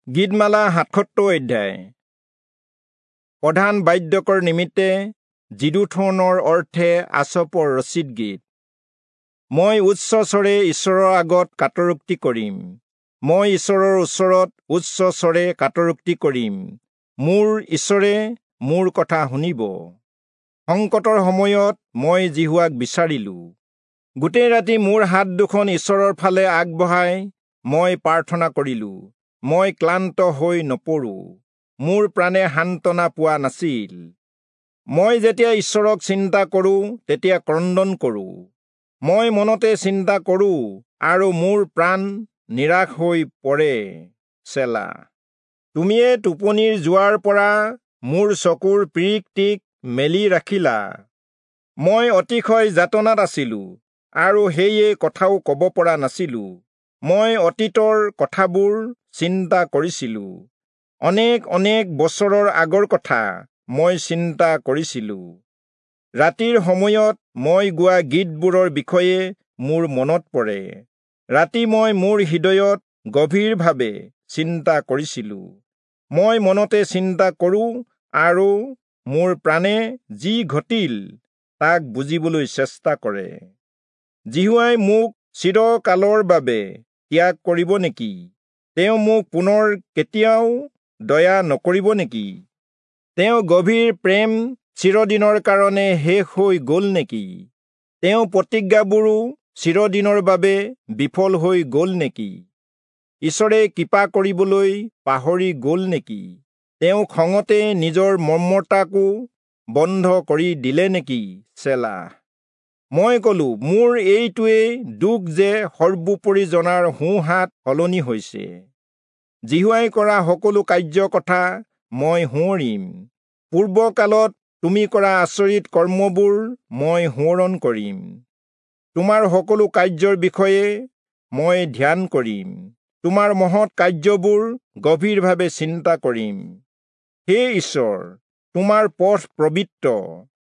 গীতমালা ৭৭ অধ্যায়। প্ৰধান বাদ্যকৰ নিমিত্তে যিদুথূনৰ অৰ্থে আচপৰ ৰচিত গীত। মই উচ্চস্বৰে ঈশ্বৰৰ আগত কাতৰোক্তি কৰিম, মই ঈশ্বৰৰ ওচৰত উচ্চস্বৰে কাতৰোক্তি কৰিম, মোৰ ঈশ্বৰে মোৰ কথা শুনিব। সংকটৰ সময়ত মই যিহোৱাক বিচাৰিলো। গোটেই ৰাতি মোৰ হাত দুখন ঈশ্বৰৰ ফালে আগবঢ়াই মই প্ৰাৰ্থনা কৰিলো। মই ক্লান্ত হৈ নপৰো, মোৰ প্ৰাণে সান্তনা পোৱা নাছিল। মই যেতিয়া ঈশ্বৰক চিন্তা কৰোঁ তেতিয়া ক্ৰন্দন কৰোঁ, মই মনতে চিন্তা কৰোঁ আৰু মোৰ প্ৰাণ নিৰাশ হৈ পৰে। চেলা। তুমিয়ে টোপনিৰ যোৱাৰ পৰা মোৰ চকুৰ পিৰিকটিক মেলি ৰাখিলা। মই অতিশয় যাতনাত আছিলো আৰু সেয়ে কথাও ক'ব পৰা নাছিলো। মই অতীতৰ কথাবোৰ চিন্তা কৰিছিলো, অনেক অনেক বছৰৰ আগৰ কথা মই চিন্তা কৰিছিলো। ৰাতিৰ সময়ত মই গোৱা গীতবোৰৰ বিষয়ে মোৰ মনত পৰে। ৰাতি মই মোৰ হৃদয়ত গভীৰভাৱে চিন্তা কৰিছিলো। মই মনতে চিন্তা কৰোঁ আৰু মোৰ প্ৰাণে যি ঘটিল তাক বুজিবলৈ চেষ্টা কৰে। যিহোৱাই মোক চিৰকালৰ বাবে ত্যাগ কৰিব নেকি? তেওঁ মোক পুনৰ কেতিয়াও দয়া নকৰিব নেকি? তেওঁ গভীৰ প্ৰেম চিৰদিনৰ কাৰণে শেষ হৈ গ'ল নেকি? তেওঁ প্ৰতিজ্ঞাবোৰো চিৰদিনৰ বাবে বিফল হৈ গ'ল নেকি? ঈশ্বৰে কৃপা কৰিবলৈ পাহৰি গ'ল নেকি? তেওঁ খঙতে নিজৰ মৰ্মতাকো বন্ধ কৰি দিলে নেকি? চেলা। মই কলো, মোৰ এইটোৱেই দুখ যে সৰ্বোপৰি জনাৰ সোঁহাত সলনি হৈছে। যিহোৱাই কৰা সকলো কাৰ্য কথা মই সোঁৱৰিম। পূৰ্বকালত তুমি কৰা আচৰিত কৰ্মবোৰ মই সোঁৱৰণ কৰিম। তোমাৰ সকলো কাৰ্যৰ বিষয়ে মই ধ্যান কৰিম, তোমাৰ মহৎ কাৰ্যবোৰ গভীৰভাৱে চিন্তা কৰিম। হে ঈশ্বৰ, তোমাৰ পথ পবিত্ৰ।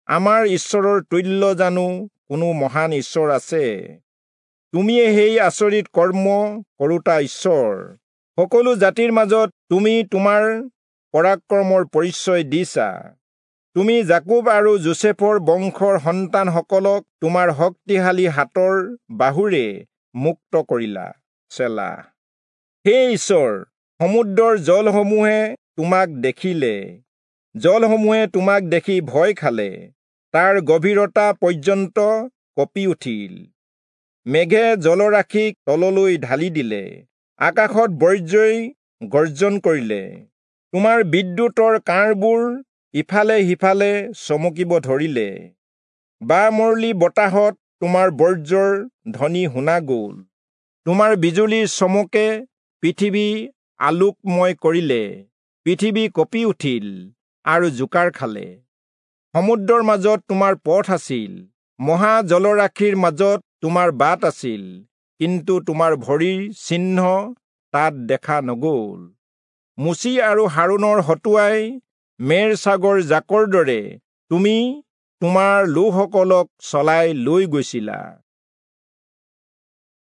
আমাৰ ঈশ্বৰৰ তুল্য জানো কোনো মহান ঈশ্বৰ আছে? তুমিয়ে সেই আচৰিত কৰ্ম কৰোঁতা ঈশ্বৰ। সকলো জাতিৰ মাজত তুমি তোমাৰ পৰাক্ৰমৰ পৰিচয় দিছা। তুমি যাকোব আৰু যোচেফৰ বংশৰ সন্তানসকলক তোমাৰ শক্তিশালী হাতৰ বাহুৰে মুক্ত কৰিলা। চেলা। হে ঈশ্বৰ, সমুদ্ৰৰ জলসমূহে তোমাক দেখিলে, জলসমূহে তোমাক দেখি ভয় খালে, তাৰ গভীৰতা পৰ্যন্ত কঁপি উঠিল। মেঘে জলৰাশিক তললৈ ঢালি দিলে, আকাশত বজ্ৰই গৰ্জন কৰিলে। তোমাৰ বিদ্যুতৰ কাঁড়বোৰ ইফালে সিফালে চমকিব ধৰিলে। বামৰলি বতাহত তোমাৰ বজ্ৰৰ ধ্বনি শুনা গ'ল। তোমাৰ বিজুলীৰ চমকে পৃথিৱী আলোকময় কৰিলে, পৃথিৱী কঁপি উঠিল আৰু জোকাৰ খালে। সমুদ্ৰৰ মাজত তোমাৰ পথ আছিল, মহা জলৰাশিৰ মাজত তোমাৰ বাট আছিল, কিন্তু তোমাৰ ভৰিৰ চিহ্ন তাত দেখা নগ'ল। মোচি আৰু হাৰোণৰ হতুৱাই মেৰ ছাগৰ জাকৰ দৰে তুমি তোমাৰ লোকসকলক চলাই লৈ গৈছিলা।